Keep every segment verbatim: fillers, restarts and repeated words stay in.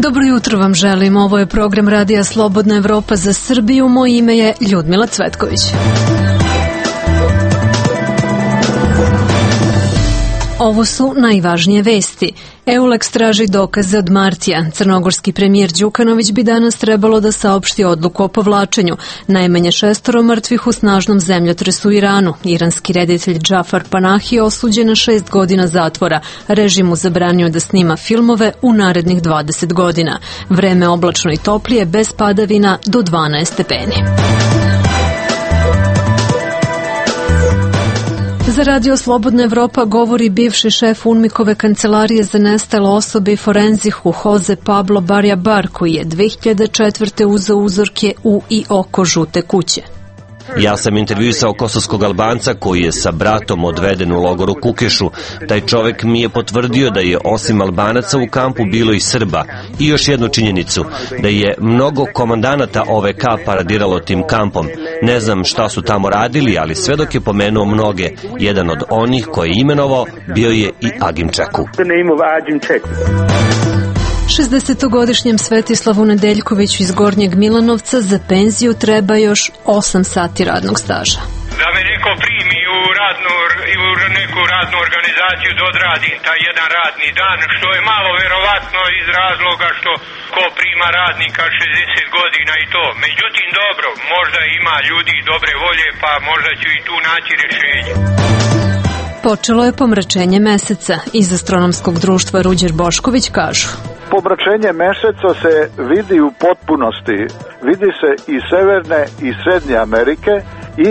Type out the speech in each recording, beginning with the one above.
Dobro jutro vam želim. Ovo je program Radija Slobodna Evropa za Srbiju. Moje ime je Ljudmila Cvetković. Ovo su najvažnije vesti. Euleks traži dokaze od Martija. Crnogorski premijer Đukanović bi danas trebalo da saopšti odluku o povlačenju. Najmanje šestoro mrtvih u snažnom zemljotresu u Iranu. Iranski reditelj Džafar Panahi osuđen na šest godina zatvora. Režim mu zabranio da snima filmove u narednih dvadeset godina. Vreme oblačno i toplije, bez padavina, do dvanaest stepeni. Za Radio Slobodna Evropa govori bivši šef UNMIK-ove kancelarije za nestale osobe i forenzihu Jose Pablo Barjabar, koji je dve hiljade četvrte uzeo uzorke u i oko žute kuće. Ja sam intervjuisao kosovskog Albanca koji je sa bratom odveden u logor u Kukešu. Taj čovek mi je potvrdio da je osim Albanaca u kampu bilo i Srba. I još jednu činjenicu, da je mnogo komandanata O V K paradiralo tim kampom. Ne znam šta su tamo radili, ali sve dok je pomenuo mnoge, jedan od onih koje je imenovao bio je i Agimčaku. šezdesetogodišnjem Svetislavu Nedeljkoviću iz Gornjeg Milanovca za penziju treba još osam sati radnog staža. Da me neko primi u, radnu, u neku radnu organizaciju da odradim taj jedan radni dan, što je malo verovatno iz razloga što ko prima radnika šezdeset godina i to. Međutim, dobro, možda ima ljudi dobre volje, pa možda ću i tu naći rješenje. Počelo je pomračenje meseca. Iz astronomskog društva Ruđer Bošković kažu: pomračenje meseca se vidi u potpunosti. Vidi se iz Severne i Srednje Amerike i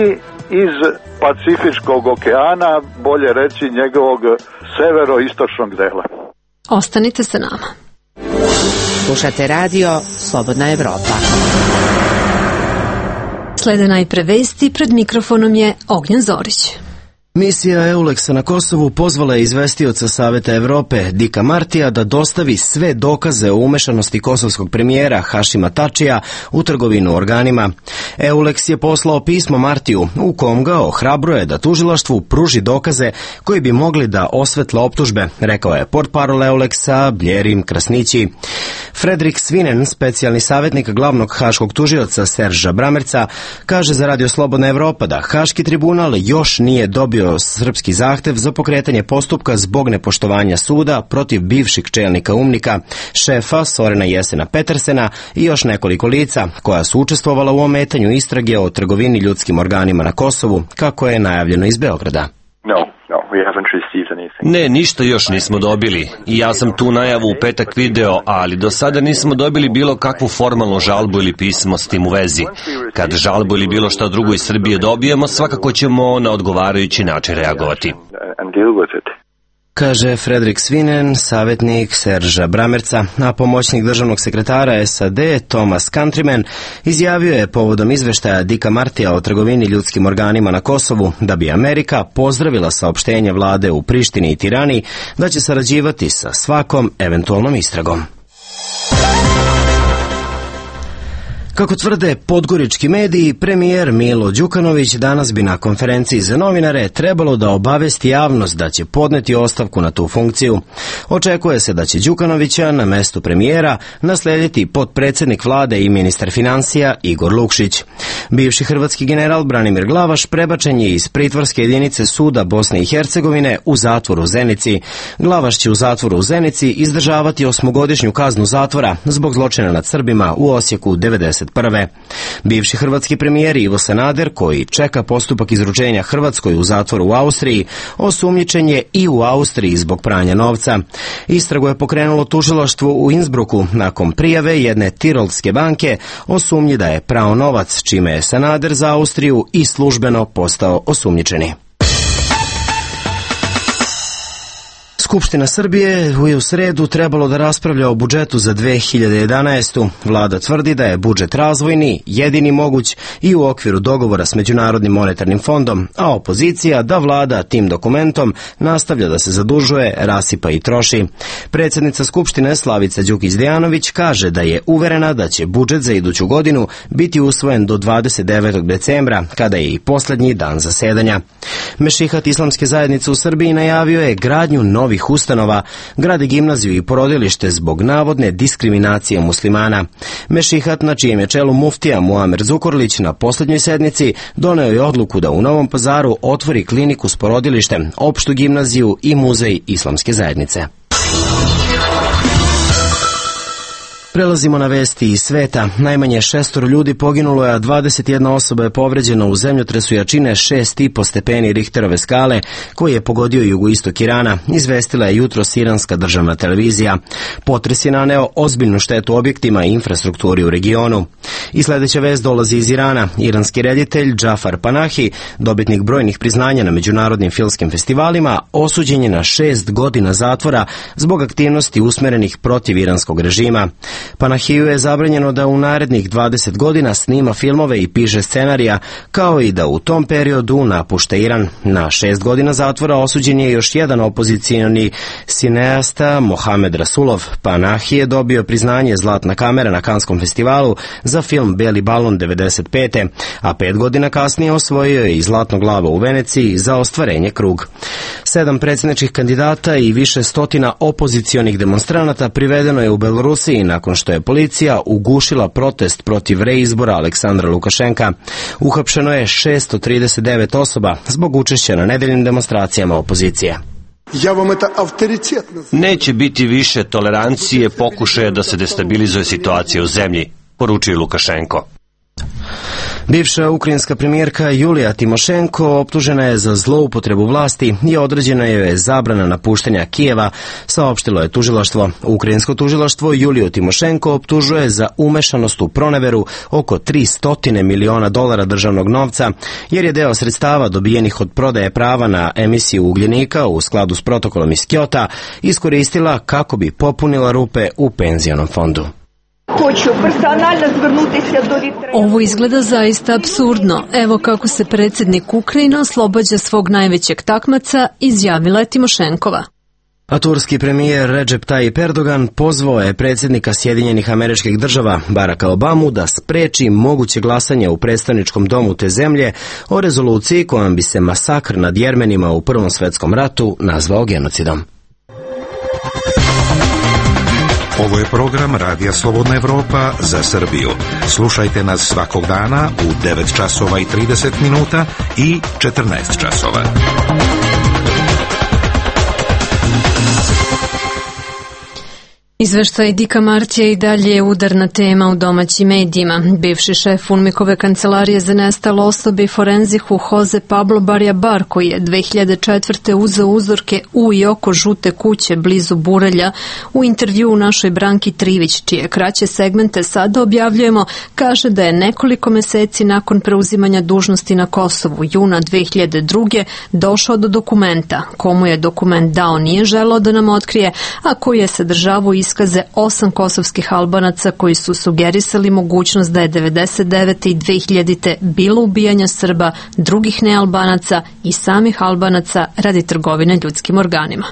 iz Pacifičkog okeana, bolje reći njegovog severoistočnog dela. Ostanite sa nama. Slušate radio Slobodna Evropa. Slede najpre vesti, pred mikrofonom je Ognjen Zorić. Misija Euleksa na Kosovu pozvala je izvestioca Saveta Evrope Dika Martija da dostavi sve dokaze o umešanosti kosovskog premijera Hašima Tačija u trgovinu organima. Euleks je poslao pismo Martiju u kom ga ohrabruje da tužilaštvu pruži dokaze koji bi mogli da osvetle optužbe, rekao je portparol Euleksa Bljerim Krasnići. Fredrik Svinen, specijalni savjetnik glavnog haškog tužioca Serža Bramerca, kaže za Radio Slobodna Evropa da Haški tribunal još nije dobio srpski zahtev za pokretanje postupka zbog nepoštovanja suda protiv bivših čelnika UNMIK-a, šefa Sorena Jesena Petersena i još nekoliko lica koja su učestvovala u ometanju istrage o trgovini ljudskim organima na Kosovu, kako je najavljeno iz Beograda. Ne, ništa još nismo dobili. I ja sam tu najavu u petak video, ali do sada nismo dobili bilo kakvu formalnu žalbu ili pismo s tim u vezi. Kad žalbu ili bilo šta drugo iz Srbije dobijemo, svakako ćemo na odgovarajući način reagovati. Kaže Fredrik Svinen, savjetnik Serža Bramerca, a pomoćnik državnog sekretara S A D Thomas Countryman izjavio je povodom izveštaja Dika Martija o trgovini ljudskim organima na Kosovu da bi Amerika pozdravila saopštenje vlade u Prištini i Tirani da će sarađivati sa svakom eventualnom istragom. Kako tvrde podgorički mediji, premijer Milo Đukanović danas bi na konferenciji za novinare trebalo da obavesti javnost da će podneti ostavku na tu funkciju. Očekuje se da će Đukanovića na mestu premijera naslediti potpredsjednik vlade i ministar financija Igor Lukšić. Bivši hrvatski general Branimir Glavaš prebačen je iz pritvorske jedinice suda Bosne i Hercegovine u zatvor u Zenici. Glavaš će u zatvoru u Zenici izdržavati osmogodišnju kaznu zatvora zbog zločina nad Srbima u Osijeku devedeset prve. Bivši hrvatski premijer Ivo Sanader, koji čeka postupak izručenja Hrvatskoj u zatvoru u Austriji, osumnjičen je i u Austriji zbog pranja novca. Istragu je pokrenulo tužilaštvo u Innsbrucku nakon prijave jedne tirolske banke o sumnji da je prao novac, čime je Sanader za Austriju i službeno postao osumnjičeni. Skupština Srbije je u sredu trebalo da raspravlja o budžetu za dve hiljade jedanaestu. Vlada tvrdi da je budžet razvojni, jedini moguć i u okviru dogovora s Međunarodnim monetarnim fondom, a opozicija da vlada tim dokumentom nastavlja da se zadužuje, rasipa i troši. Predsjednica Skupštine Slavica Đukić-Dejanović kaže da je uverena da će budžet za iduću godinu biti usvojen do dvadeset devetog decembra, kada je i posljednji dan zasedanja. Mešihat Islamske zajednice u Srbiji najavio je gradnju novih njihovih ustanova, grade gimnaziju i porodilište zbog navodne diskriminacije muslimana. Mešihat, na čijem je čelu muftija Muamer Zukorlić, na poslednjoj sednici doneo je odluku da u Novom Pazaru otvori kliniku s porodilištem, opštu gimnaziju i muzej islamske zajednice. Prelazimo na vesti iz sveta. Najmanje šestoro ljudi poginulo je, a dvadeset jedna osoba je povređena u zemljotresu jačine šest i po stepeni Richterove skale, koji je pogodio jugoistok Irana, izvestila je jutros iranska državna televizija. Potres je naneo ozbiljnu štetu objektima i infrastrukturi u regionu. I sledeća vest dolazi iz Irana. Iranski reditelj Džafar Panahi, dobitnik brojnih priznanja na međunarodnim filmskim festivalima, osuđen je na šest godina zatvora zbog aktivnosti usmerenih protiv iranskog režima. Panahiju je zabranjeno da u narednih dvadeset godina snima filmove i piše scenarija, kao i da u tom periodu napušta Iran. Na šest godina zatvora osuđen je još jedan opozicioni sineasta, Mohamed Rasulov. Panahi je dobio priznanje Zlatna kamera na Kanskom festivalu za film Beli balon devedeset pete. a pet godina kasnije osvojio je i Zlatno glavo u Veneciji za ostvarenje krug. Sedam predsjedničkih kandidata i više stotina opozicionih demonstranata privedeno je u Belorusiji nakon što je policija ugušila protest protiv reizbora Aleksandra Lukašenka. Uhapšeno je šesto trideset devet osoba zbog učešća na nedeljnim demonstracijama opozicije. Neće biti više tolerancije pokušaja da se destabilizuje situacija u zemlji, poručio Lukašenko. Bivša ukrajinska premijerka Julija Timošenko optužena je za zloupotrebu vlasti i određena joj je zabrana napuštanja Kijeva, saopštilo je tužilaštvo. Ukrajinsko tužilaštvo Juliju Timošenko optužuje za umešanost u proneveru oko tristo miliona dolara državnog novca, jer je deo sredstava dobijenih od prodaje prava na emisiju ugljenika u skladu s protokolom iz Kjota iskoristila kako bi popunila rupe u penzionom fondu. Ovo izgleda zaista apsurdno. Evo kako se predsjednik Ukrajine oslobađa svog najvećeg takmaca, izjavila je Timošenkova. A turski premijer Recep Tayyip Erdogan pozvao je predsjednika Sjedinjenih Američkih Država Baracka Obamu da spreči moguće glasanje u predstavničkom domu te zemlje o rezoluciji kojom bi se masakr nad Jermenima u Prvom svetskom ratu nazvao genocidom. Ovo je program Radija Slobodna Evropa za Srbiju. Slušajte nas svakog dana u devet časova i trideset minuta i četrnaest časova. Izveštaj Dika Martija i dalje je udarna tema u domaćim medijima. Bivši šef UNMIK-ove kancelarije za nestalo osobe i forenziku Jose Pablo Barjabar, koji je dve hiljade četvrte uzeo uzorke u i oko žute kuće blizu Burelja, u intervju u našoj Branki Trivić, čije kraće segmente sada objavljujemo, kaže da je nekoliko meseci nakon preuzimanja dužnosti na Kosovu, juna dve hiljade druge, došao do dokumenta. Komu je dokument dao nije želeo da nam otkrije, a koji je sadržavao iskaze osam kosovskih Albanaca koji su sugerisali mogućnost da je devedeset devete i dve hiljadite bilo ubijanja Srba, drugih nealbanaca i samih Albanaca radi trgovine ljudskim organima.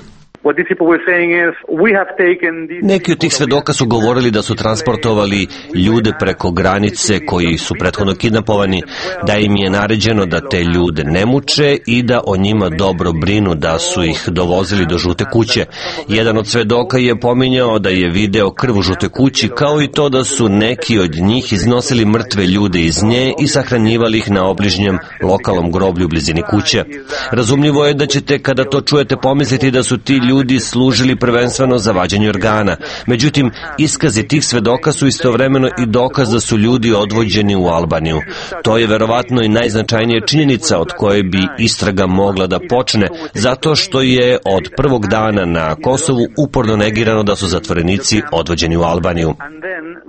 Neki od tih svedoka su govorili da su transportovali ljude preko granice koji su prethodno kidnapovani, da im je naređeno da te ljude ne muče i da o njima dobro brinu, da su ih dovozili do žute kuće. Jedan od svedoka je pominjao da je video krv u žute kući, kao i to da su neki od njih iznosili mrtve ljude iz nje i sahranjivali ih na obližnjem lokalnom groblju u blizini kuće. Razumljivo je da ćete kada to čujete pomisliti da su ti ljudi ljudi služili prvenstveno za vađenje organa. Međutim, iskazi tih svedoka su istovremeno i dokaz da su ljudi odvođeni u Albaniju. To je verovatno i najznačajnija činjenica od koje bi istraga mogla da počne, zato što je od prvog dana na Kosovu uporno negirano da su zatvorenici odvođeni u Albaniju.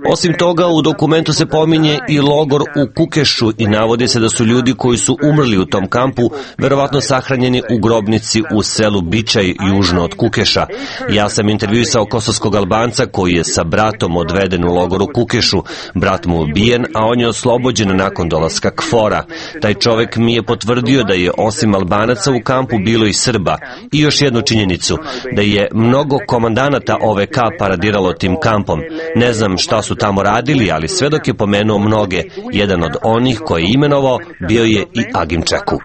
Osim toga, u dokumentu se pominje i logor u Kukešu i navodi se da su ljudi koji su umrli u tom kampu verovatno sahranjeni u grobnici u selu Bičaj južno od Kukeša. Ja sam intervjuisao kosovskog Albanca koji je sa bratom odveden u logor u Kukešu. Brat mu ubijen, a on je oslobođen nakon dolaska Kfora. Taj čovek mi je potvrdio da je osim Albanaca u kampu bilo i Srba. I još jednu činjenicu, da je mnogo komandanata O V K paradiralo tim kampom. Ne znam šta su tamo radili, ali svedok je pomenuo mnoge. Jedan od onih koji je imenovao bio je i Agim Čeku.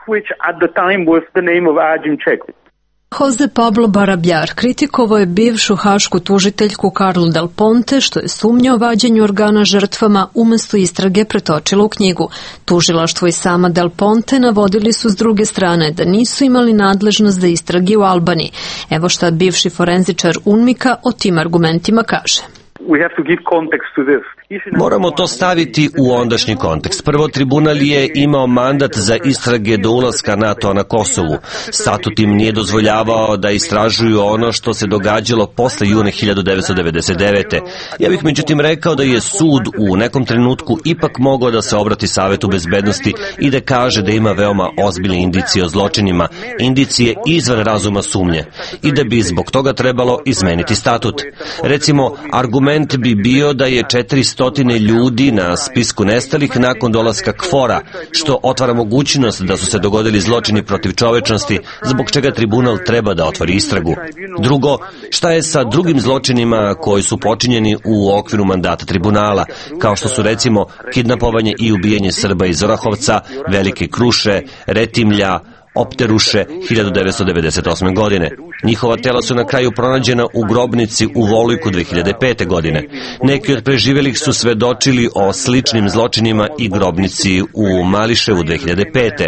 Jose Pablo Barabjar kritikovao je bivšu hašku tužiteljku Carlu Del Ponte što je sumnja o vađenju organa žrtvama umesto istrage pretočila u knjigu. Tužilaštvo i sama Del Ponte navodili su s druge strane da nisu imali nadležnost za istrage u Albaniji. Evo šta bivši forenzičar UNMIK-a o tim argumentima kaže. Moramo to staviti u ondašnji kontekst. Prvo, tribunal je imao mandat za istrage do ulaska NATO na Kosovu. Statut im nije dozvoljavao da istražuju ono što se događalo posle juna hiljadu devetsto devedeset devete. Ja bih međutim rekao da je sud u nekom trenutku ipak mogao da se obrati Savetu bezbednosti i da kaže da ima veoma ozbiljne indicije o zločinima, indicije izvan razuma sumnje, i da bi zbog toga trebalo izmeniti statut. Recimo, argument bi bio da je četiristo ljudi na spisku nestalih nakon dolaska KFOR-a, što otvara mogućnost da su se dogodili zločini protiv čovečnosti, zbog čega tribunal treba da otvori istragu. Drugo, šta je sa drugim zločinima koji su počinjeni u okviru mandata tribunala, kao što su recimo kidnapovanje i ubijanje Srba iz Orahovca, Velike Kruše, Retimlja, Opteruše hiljadu devetsto devedeset osme. godine. Njihova tela su na kraju pronađena u grobnici u Volujku dve hiljade pete. godine. Neki od preživelih su svedočili o sličnim zločinima i grobnici u Mališevu dve hiljade pete.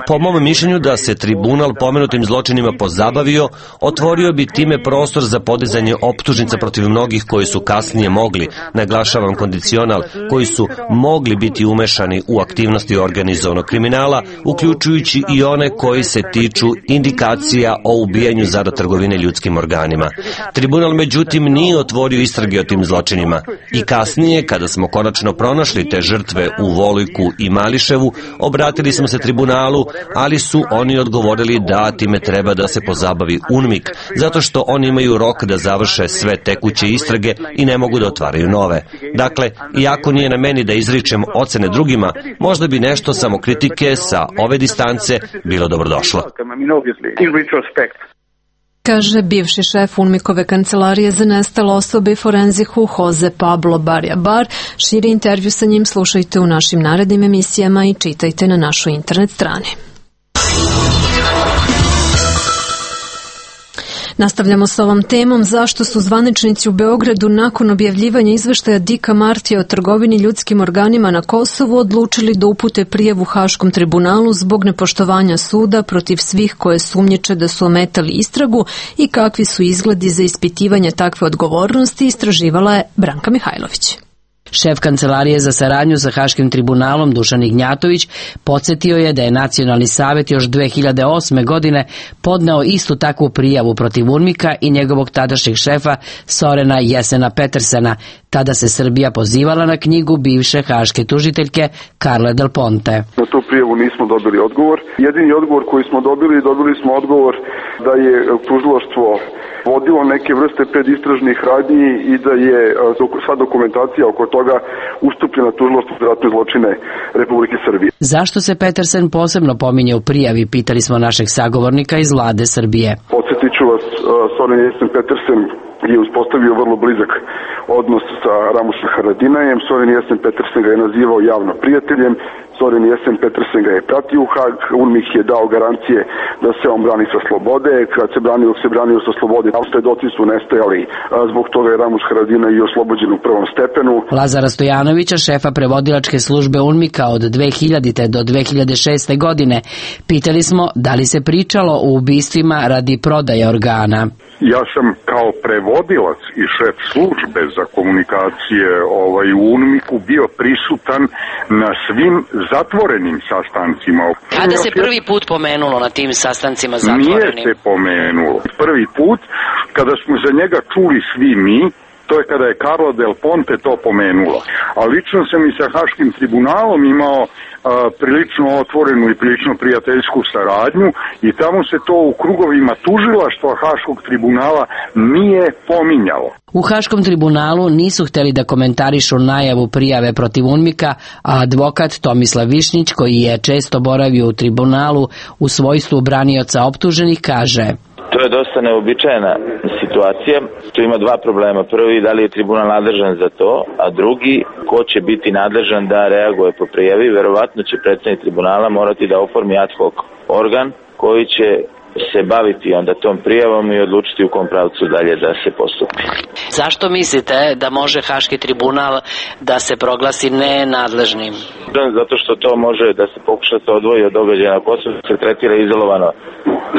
Po mom mišljenju da se tribunal pomenutim zločinima pozabavio, otvorio bi time prostor za podizanje optužnica protiv mnogih koji su kasnije mogli, naglašavam kondicional, koji su mogli biti umešani u aktivnosti organizovanog kriminala, uključujući i one koji se tiču indikacija o ubijanju zarad trgovine ljudskim organima. Tribunal međutim nije otvorio istrage o tim zločinima i kasnije, kada smo konačno pronašli te žrtve u Volujku i Mališevu, obratili smo se tribunalu, ali su oni odgovorili da time treba da se pozabavi UNMIK, zato što oni imaju rok da završe sve tekuće istrage i ne mogu da otvaraju nove. Dakle, iako nije na meni da izričem ocene drugima, možda bi nešto samokritike sa ove distance bilo dobrodošlo. Kaže bivši šef UNMIK-ove kancelarije za nestale osobe i forenziku Jose Pablo Barabjar. Širi intervju sa njim slušajte u našim narednim emisijama i čitajte na našoj internet strani. Nastavljamo s ovom temom. Zašto su zvaničnici u Beogradu nakon objavljivanja izveštaja Dika Martija o trgovini ljudskim organima na Kosovu odlučili da upute prijavu Haškom tribunalu zbog nepoštovanja suda protiv svih koje sumnjiče da su ometali istragu i kakvi su izgledi za ispitivanje takve odgovornosti, istraživala je Branka Mihajlović. Šef Kancelarije za saradnju sa Haškim tribunalom Dušan Ignjatović podsjetio je da je Nacionalni savet još dve hiljade osme. godine podneo istu takvu prijavu protiv UNMIK-a i njegovog tadašnjeg šefa Sorena Jesena Petersena. Tada se Srbija pozivala na knjigu bivše haške tužiteljke Carle Del Ponte. Na tu prijavu nismo dobili odgovor. Jedini odgovor koji smo dobili, dobili smo odgovor da je tužilaštvo vodilo neke vrste predistražnih radnji i da je sva dokumentacija oko toga ustupljena tužilaštvu za ratne zločine Republike Srbije. Zašto se Petersen posebno pominje u prijavi, pitali smo našeg sagovornika iz vlade Srbije. Podsjetit ću vas, Soren Jesen Petersen je uspostavio vrlo blizak odnos sa Ramušem Haradinajem. Soren Jesen Petersen ga je nazivao javno prijateljem. Soren Jesen Petersen ga je pratio u Hag. UNMIK je dao garancije da se on brani sa slobode. Kad se branio, se branio sa slobode. Svedoci su nestajali. Zbog toga je Ramuš Haradinaj i oslobođen u prvom stepenu. Lazara Stojanovića, šefa prevodilačke službe UNMIK-a od dve hiljadite. do dve hiljade šeste. godine, pitali smo da li se pričalo o ubistvima radi prodaje organa. Ja sam kao prevodilac i šef službe za komunikacije ovaj, u UNMIK-u bio prisutan na svim zatvorenim sastancima. Kada se prvi put pomenulo na tim sastancima zatvorenim? Nije se pomenulo. Prvi put, kada smo za njega čuli svi mi, to je kada je Carla Del Ponte to pomenulo. A lično sam i sa Haškim tribunalom imao a, prilično otvorenu i prilično prijateljsku saradnju i tamo se to u krugovima tužilaštva Haškog tribunala nije pominjalo. U Haškom tribunalu nisu hteli da komentarišu najavu prijave protiv UNMIK-a, a advokat Tomislav Višnjić, koji je često boravio u tribunalu u svojstvu branioca optuženih, kaže: To je dosta neobičajena situacija. Tu ima dva problema. Prvi, da li je tribunal nadležan za to, a drugi, ko će biti nadležan da reaguje po prijavi. Verovatno će predsednik tribunala morati da oformi ad hoc organ koji će se baviti onda tom prijavom i odlučiti u kom pravcu dalje da se postupi. Zašto mislite da može Haški tribunal da se proglasi nenadležnim? Zato što to može da se pokuša se odvoji od događaja na Kosovu, se tretira izolovano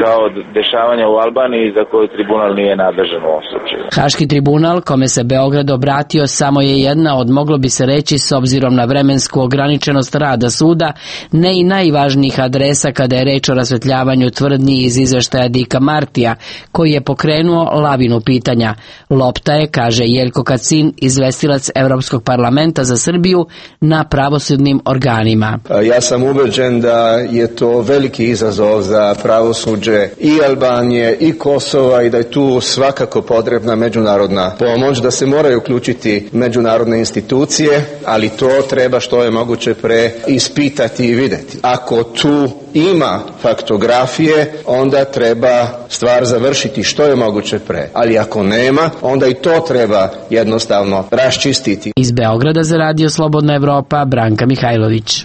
kao dešavanja u Albaniji za koje tribunal nije nadležan u ovom slučaju. Haški tribunal, kome se Beograd obratio, samo je jedna od, moglo bi se reći, s obzirom na vremensku ograničenost rada suda, ne i najvažnijih adresa kada je reč o rasvetljavanju tvrdnji iz izveštaja Dika Martija, koji je pokrenuo lavinu pitanja. Lopta je, kaže Jeljko Kacin, izvestilac Evropskog parlamenta za Srbiju, na pravosudnim organima. Ja sam ubeđen da je to veliki izazov za pravosuđe i Albanije i Kosova i da je tu svakako potrebna međunarodna pomoć, da se moraju uključiti međunarodne institucije, ali to treba što je moguće pre ispitati i videti. Ako tu ima faktografije, onda treba stvar završiti što je moguće pre. Ali ako nema, onda i to treba jednostavno raščistiti. Iz Beograda za Radio Slobodna Evropa, Branka Mihajlović.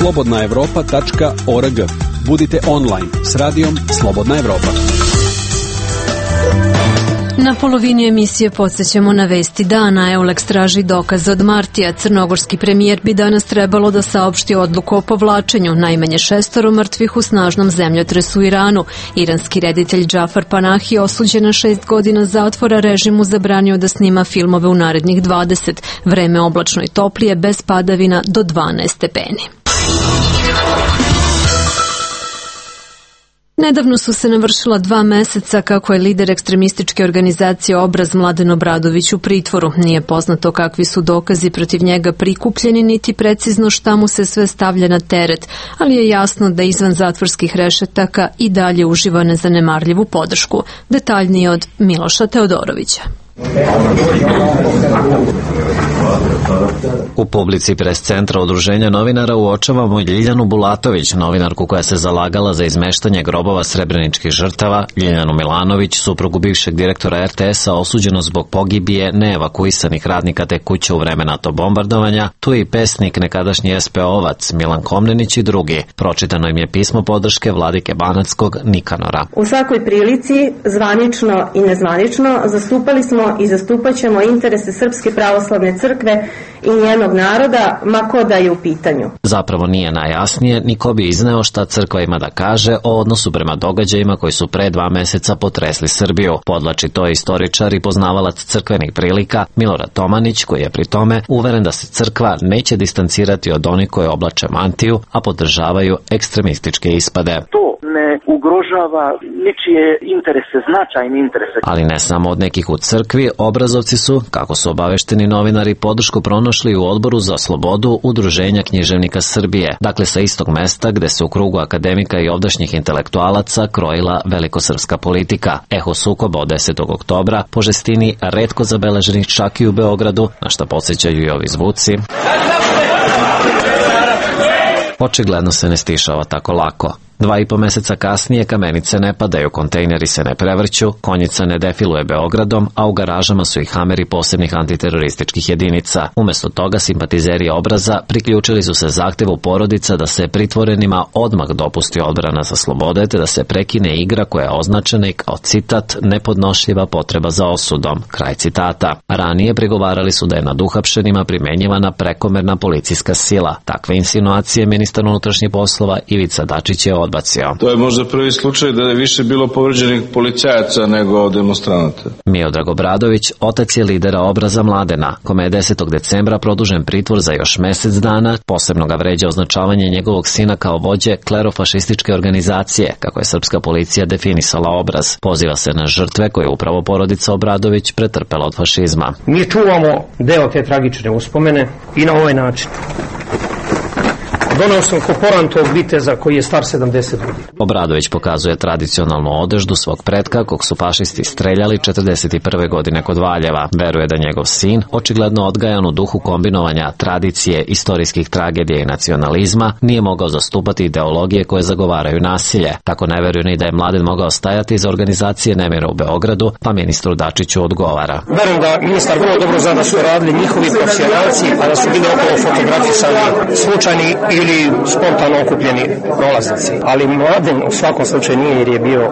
slobodna evropa tačka org. Budite online s radijom Slobodna Evropa. Na polovini emisije podsjećamo na vesti dana. Euleks traži dokaze od Martija. Crnogorski premijer bi danas trebalo da saopšti odluku o povlačenju. Najmanje šestoro mrtvih u snažnom zemljotresu u Iranu. Iranski reditelj Džafar Panahi osuđen na šest godina zatvora, režimu zabranio da snima filmove u narednih dvadeset. Vreme oblačno i toplije, bez padavina do dvanaest stepeni. Nedavno su se navršila dva meseca kako je lider ekstremističke organizacije Obraz Mladen Obradović u pritvoru. Nije poznato kakvi su dokazi protiv njega prikupljeni, niti precizno šta mu se sve stavlja na teret, ali je jasno da izvan zatvorskih rešetaka i dalje uživa nezanemarljivu podršku. Detaljnije od Miloša Teodorovića. U publici pres centra Udruženja novinara uočavamo Ljiljanu Bulatović, novinarku koja se zalagala za izmeštanje grobova srebreničkih žrtava, Ljiljanu Milanović, suprugu bivšeg direktora er te es-a osuđeno zbog pogibije neevakuisanih radnika te kuće u vreme NATO bombardovanja, tu je i pesnik nekadašnji es pe ovac Milan Komnenić i drugi. Pročitano im je pismo podrške vladike Banackog Nikanora. U svakoj prilici, zvanično i nezvanično, zastupali smo i zastupat ćemo interese Srpske pravoslavne crkve i njenog naroda, ma ko da je u pitanju. Zapravo nije najjasnije ni ko bi izneo šta crkva ima da kaže o odnosu prema događajima koji su pre dva meseca potresli Srbiju. Podlači to istoričar i poznavalac crkvenih prilika Milorad Tomanić, koji je pri tome uveren da se crkva neće distancirati od onih koje oblače mantiju, a podržavaju ekstremističke ispade. To ne ugrožava ničije interese, značajne interese. Ali ne samo od nekih u crkvi, obrazovci su, kako su obavešteni novinari, podršku pronašli u Odboru za slobodu Udruženja književnika Srbije, dakle sa istog mesta gde se u krugu akademika i ovdašnjih intelektualaca krojila velikosrpska politika. Eho sukoba od desetog oktobra po žestini retko zabeleženih čak i u Beogradu, na šta podsjećaju i ovi zvuci. Očigledno se ne stišava tako lako. Dva i po meseca kasnije kamenice ne padaju, kontejneri se ne prevrću, konjica ne defiluje Beogradom, a u garažama su i hameri posebnih antiterorističkih jedinica. Umesto toga simpatizeri Obraza priključili su se zahtevu porodica da se pritvorenima odmah dopusti odbrana za slobode te da se prekine igra koja je označena i kao citat nepodnošljiva potreba za osudom. Kraj citata. Ranije prigovarali su da je nad uhapšenima primenjivana prekomerna policijska sila. Takve insinuacije ministar unutrašnjih poslova Ivica Dačić je odbacio. To je možda prvi slučaj da je više bilo povređenih policajaca nego demonstranata. Miodrag Obradović, otac je lidera Obraza Mladena, kome je desetog decembra produžen pritvor za još mesec dana. Posebno ga vređa označavanje njegovog sina kao vođe klerofašističke organizacije, kako je srpska policija definisala Obraz. Poziva se na žrtve koje je upravo porodica Obradović pretrpela od fašizma. Mi čuvamo deo te tragične uspomene i na ovaj način. Donao sam koporan tog viteza koji je star sedamdeset godina. Obradović pokazuje tradicionalnu odeždu svog pretka kog su fašisti streljali četrdeset prve godine kod Valjeva. Veruje da njegov sin, očigledno odgajan u duhu kombinovanja tradicije, istorijskih tragedija i nacionalizma, nije mogao zastupati ideologije koje zagovaraju nasilje. Tako ne veruje ni da je Mladen mogao stajati iza organizacije nemira u Beogradu, pa ministru Dačiću odgovara. Verujem da ministar vrlo dobro zna da su radili njihovi profesionalci, a da su bili okolo fotografisani slučajni ili ili spontano okupljeni prolaznici. Ali Mladen u svakom slučaju nije jer je bio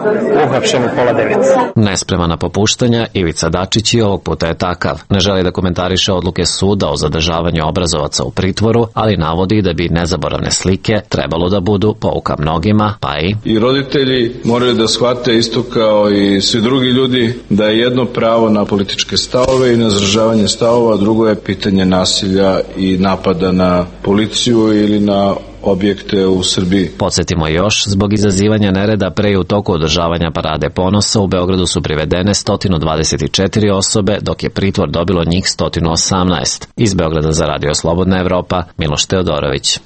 uhapšen u pola devet. Nespreman na popuštanja, Ivica Dačić i ovog puta je takav. Ne želi da komentariše odluke suda o zadržavanju obrazovaca u pritvoru, ali navodi da bi nezaboravne slike trebalo da budu pouka mnogima, pa i... I roditelji moraju da shvate isto kao i svi drugi ljudi da je jedno pravo na političke stavove i na izražavanje stavova, drugo je pitanje nasilja i napada na policiju ili na objekte u Srbiji. Podsjetimo još, zbog izazivanja nereda pre i u toku održavanja Parade ponosa u Beogradu su privedene sto dvadeset četiri osobe, dok je pritvor dobilo njih sto osamnaest. Iz Beograda za Radio Slobodna Evropa, Miloš Teodorović.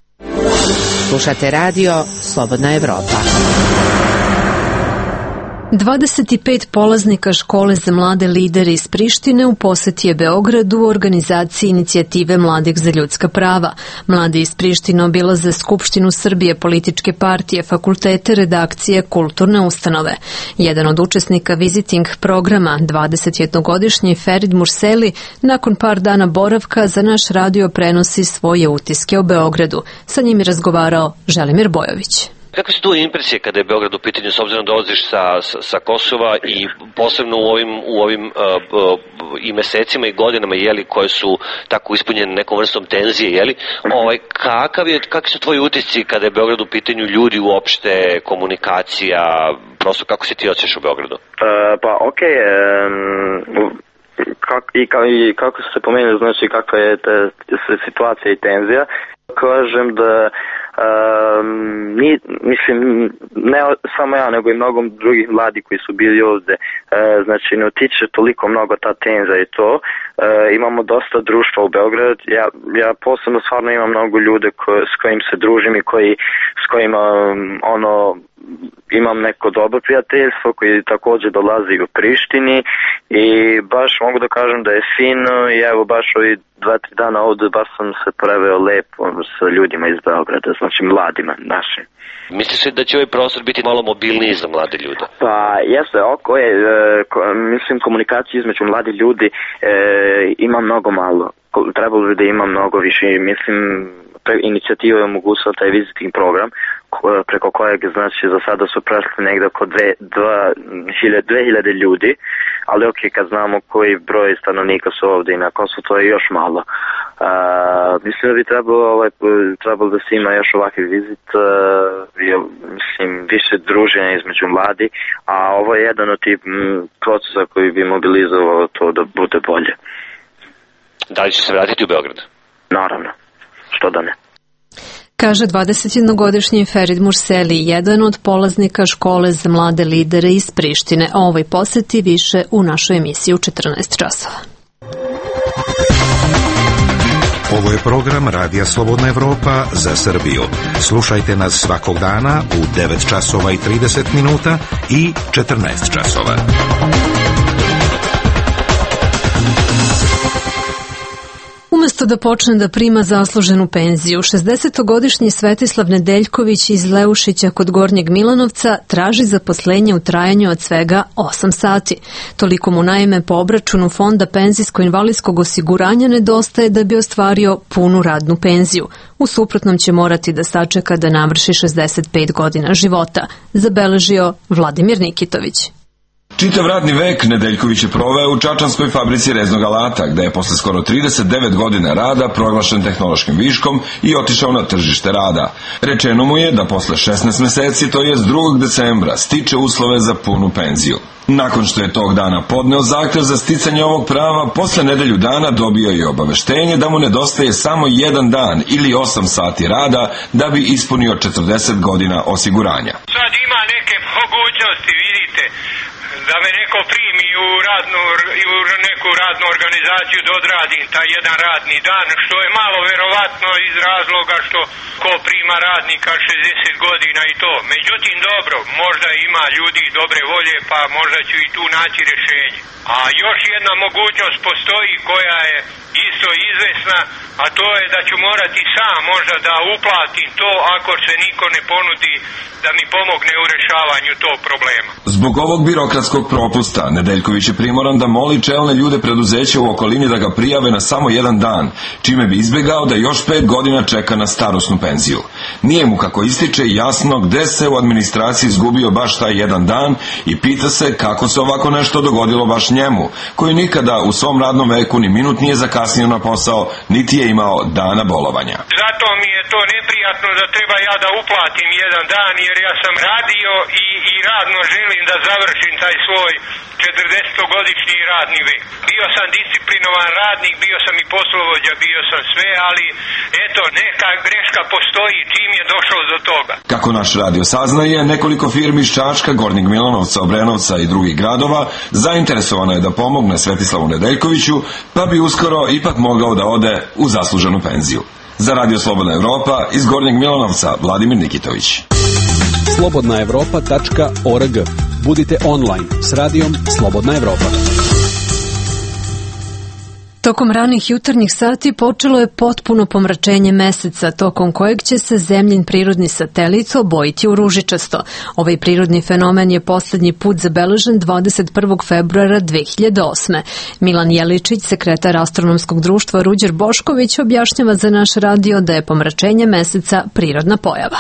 Slušate radio Slobodna Evropa. dvadeset pet polaznika škole za mlade lidere iz Prištine u poseti je Beogradu u organizaciji inicijative Mladih za ljudska prava. Mladi iz Prištine obilaze Skupštinu Srbije, političke partije, fakultete, redakcije, kulturne ustanove. Jedan od učesnika visiting programa, dvadesetjednogodišnji Ferid Murseli, nakon par dana boravka za naš radio prenosi svoje utiske o Beogradu. Sa njim je razgovarao Želimir Bojović. Kakve su tu impresije kada je Beograd u pitanju, s obzirom da dolaziš sa, sa, sa Kosova i posebno u ovim, u ovim uh, uh, i mesecima i godinama, jeli, koje su tako ispunjene nekom vrstom tenzije, jeli, ovaj, kakav je, kakvi su tvoji utisci kada je Beograd u pitanju, ljudi uopšte, komunikacija, prosto kako se ti osjećaš u Beogradu? Uh, pa okej, okay, um, kak, i, ka, i kako se pomenuli, znači kakva je ta, ta situacija i tenzija, kažem da Um, ni, mislim, ne samo ja, nego i mnogo drugih mladi koji su bili ovde, e, znači ne utiče toliko mnogo ta tenza i to. E, imamo dosta društva u Beogradu, ja, ja posebno stvarno imam mnogo ljude ko, s kojim se družim i koji, s kojima um, ono, imam neko dobro prijateljstvo koji takođe dolazi u Prištini i baš mogu da kažem da je fino i evo baš ovi dva, tri dana ovde baš sam se preveo lepo sa ljudima iz Beograda, znači mladima našim. Misliš li da će ovaj prostor biti malo mobilniji za mlade ljude? Pa jeste, oko je, e, ko, mislim komunikacija između mladi ljudi e, ima mnogo malo, trebalo bi da ima mnogo više, mislim inicijativa je omogućila taj visiting program preko kojeg znači za sada su prešli negde oko dve hiljade ljudi, ali ok, kad znamo koji broj stanovnika su ovde i na Kosovu, to je još malo. Uh, mislim da bi trebalo, ovaj, trebalo da se ima još ovakvi vizit, uh, mislim više druženja između mladi, a ovo je jedan od tih procesa koji bi mobilizovao to da bude bolje. Da li će se vratiti u Beograd? Naravno, što da ne. Kaže dvadesetjednogodišnji Ferid Murseli, jedan od polaznika škole za mlade lidere iz Prištine. O ovoj poseti više u našoj emisiji u četrnaest časova. Ovo je program Radija Slobodna Evropa za Srbiju. Slušajte nas svakog dana u devet časova i trideset minuta i četrnaest časova. Umesto da počne da prima zasluženu penziju, šezdesetogodišnji Svetislav Nedeljković iz Leušića kod Gornjeg Milanovca traži zaposlenje u trajanju od svega osam sati. Toliko mu naime po obračunu Fonda penzijsko-invalidskog osiguranja nedostaje da bi ostvario punu radnu penziju. U suprotnom će morati da sačeka da navrši šezdeset pet godina života, zabeležio Vladimir Nikitović. Čitav radni vek Nedeljković je proveo u čačanskoj fabrici reznog alata, gde je posle skoro trideset devet godina rada proglašen tehnološkim viškom i otišao na tržište rada. Rečeno mu je da posle šesnaest meseci, to jest drugog decembra, stiče uslove za punu penziju. Nakon što je tog dana podneo zahtev za sticanje ovog prava, posle nedelju dana dobio je obaveštenje da mu nedostaje samo jedan dan ili osam sati rada da bi ispunio četrdeset godina osiguranja. Sad ima neke mogućnosti, vidite, da me neko primi u, radnu, u neku radnu organizaciju da odradim taj jedan radni dan, što je malo verovatno iz razloga što ko prima radnika šezdeset godina i to. Međutim, dobro, možda ima ljudi dobre volje, pa možda ću i tu naći rješenje. A još jedna mogućnost postoji koja je isto iz izvesna, a to je da ću morati sam možda da uplatim to ako se niko ne ponudi da mi pomogne u rešavanju tog problema. Zbog ovog birokratskog propusta Nedeljković je primoran da moli čelne ljude preduzeća u okolini da ga prijave na samo jedan dan, čime bi izbegao da još pet godina čeka na starosnu penziju. Nije mu, kako ističe, jasno gde se u administraciji izgubio baš taj jedan dan i pita se kako se ovako nešto dogodilo baš njemu, koji nikada u svom radnom veku ni minut nije zakasnio na posao, niti je imao dana bolovanja. Zato mi je to neprijatno da treba ja da uplatim jedan dan, jer ja sam radio i, i radno želim da završim taj svoj četrdesetogodišnji radni vek. Bio sam disciplinovan radnik, bio sam i poslovođa, bio sam sve, ali eto, neka greška postoji čim je došlo do toga. Kako naš radio saznaje, nekoliko firmi iz Čačka, Gornjeg Milanovca, Obrenovca i drugih gradova zainteresovano je da pomogne Svetislavu Nedeljkoviću, pa bi uskoro ipak mogao da ode u zasluženu penziju. Za Radio Slobodna Evropa iz Gornjeg Milanovca, Vladimir Nikitović. slobodna evropa tačka org. Budite online s radijom Slobodna Evropa. Tokom ranih jutarnjih sati počelo je potpuno pomračenje meseca, tokom kojeg će se zemljin prirodni satelit obojiti u ružičasto. Ovaj prirodni fenomen je poslednji put zabeležen dvadeset prvog februara dve hiljade osme. Milan Jeličić, sekretar Astronomskog društva Ruđer Bošković, objašnjava za naš radio da je pomračenje meseca prirodna pojava.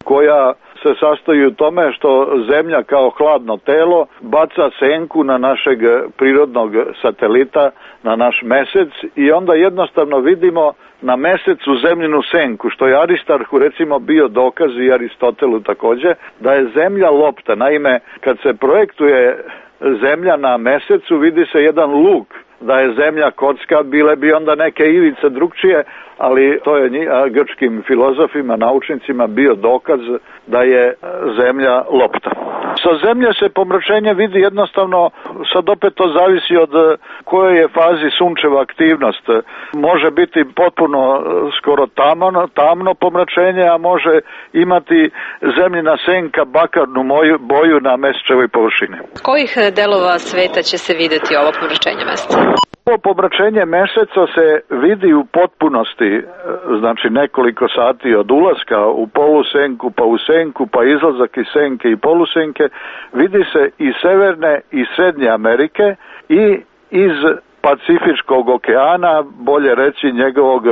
Koja se sastoji u tome što Zemlja kao hladno telo baca senku na našeg prirodnog satelita, na naš mesec, i onda jednostavno vidimo na mesecu zemljinu senku, što je Aristarhu recimo bio dokaz, i Aristotelu takođe, da je Zemlja lopta. Naime, kad se projektuje Zemlja na mesecu, vidi se jedan luk, da je Zemlja kocka, bile bi onda neke ivice drugčije, ali to je grčkim filozofima, naučnicima bio dokaz da je Zemlja lopta. Sa Zemlje se pomračenje vidi jednostavno, sad opet to zavisi od kojoj je fazi sunčeva aktivnost. Može biti potpuno skoro tamno, tamno pomračenje, a može imati zemljina senka bakarnu boju na mesečevoj površini. Kojih delova sveta će se videti ovo pomračenje meseca? Ovo pomračenje meseca se vidi u potpunosti, znači nekoliko sati od ulaska u polusenku, pa u senku, pa izlazak iz senke i polusenke, vidi se iz Severne i Srednje Amerike i iz Pacifičkog okeana, bolje reći njegovog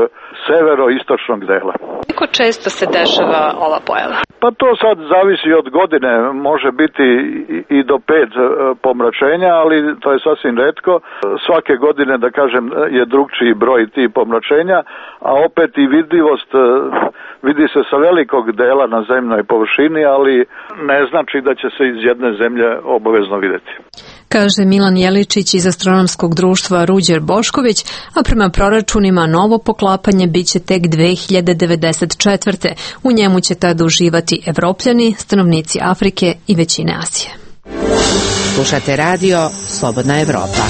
severo-istočnog dela. Koliko često se dešava ova pojava? Pa to sad zavisi od godine, može biti i do pet pomračenja, ali to je sasvim retko. Svake godine, da kažem, je drugčiji broj tih pomračenja, a opet i vidljivost vidi se sa velikog dela na zemljnoj površini, ali ne znači da će se iz jedne zemlje obavezno videti. Kaže Milan Jeličić iz Astronomskog društva Ruđer Bošković, a prema proračunima novo poklapanje biće tek dve hiljade devedeset četvrte. U njemu će tada uživati Evropljani, stanovnici Afrike i većine Azije. Slušate radio Slobodna Evropa.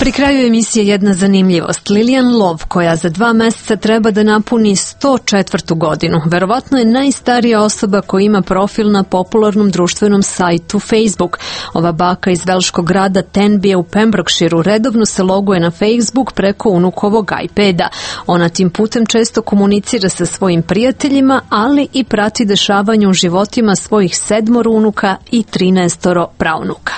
Pri kraju emisije jedna zanimljivost. Lilian Love, koja za dva meseca treba da napuni sto četvrtu godinu, verovatno je najstarija osoba koja ima profil na popularnom društvenom sajtu Facebook. Ova baka iz velškog grada Tenbije u Pembrokeshireu redovno se loguje na Facebook preko unukovog iPada. Ona tim putem često komunicira sa svojim prijateljima, ali i prati dešavanje u životima svojih sedmoro unuka i trinaestoro praunuka.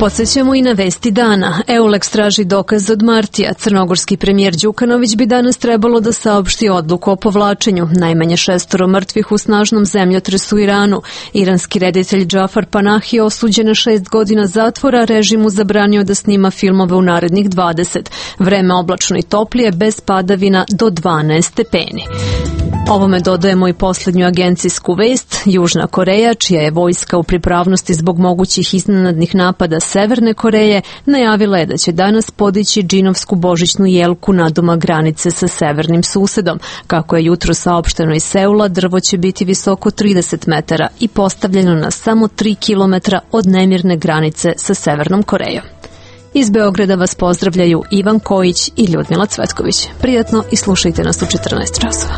Podsećamo i na vesti dana. Eulex traži dokaz od Martija. Crnogorski premijer Đukanović bi danas trebalo da saopšti odluku o povlačenju. Najmanje šestoro mrtvih u snažnom zemljotresu u Iranu. Iranski reditelj Džafar Panahi osuđen na šest godina zatvora, režimu zabranio da snima filmove u narednih dvadeset. Vreme oblačno i toplije, bez padavina do dvanaest stepeni. Ovome dodajemo i poslednju agencijsku vest. Južna Koreja, čija je vojska u pripravnosti zbog mogućih iznenadnih napada Severne Koreje, najavila je da će danas podići džinovsku božićnu jelku nadomak granice sa severnim susedom. Kako je jutro saopšteno iz Seula, drvo će biti visoko trideset metara i postavljeno na samo tri kilometra od nemirne granice sa Severnom Korejom. Iz Beograda vas pozdravljaju Ivan Kojić i Ljudmila Cvetković. Prijatno i slušajte nas u četrnaest časova.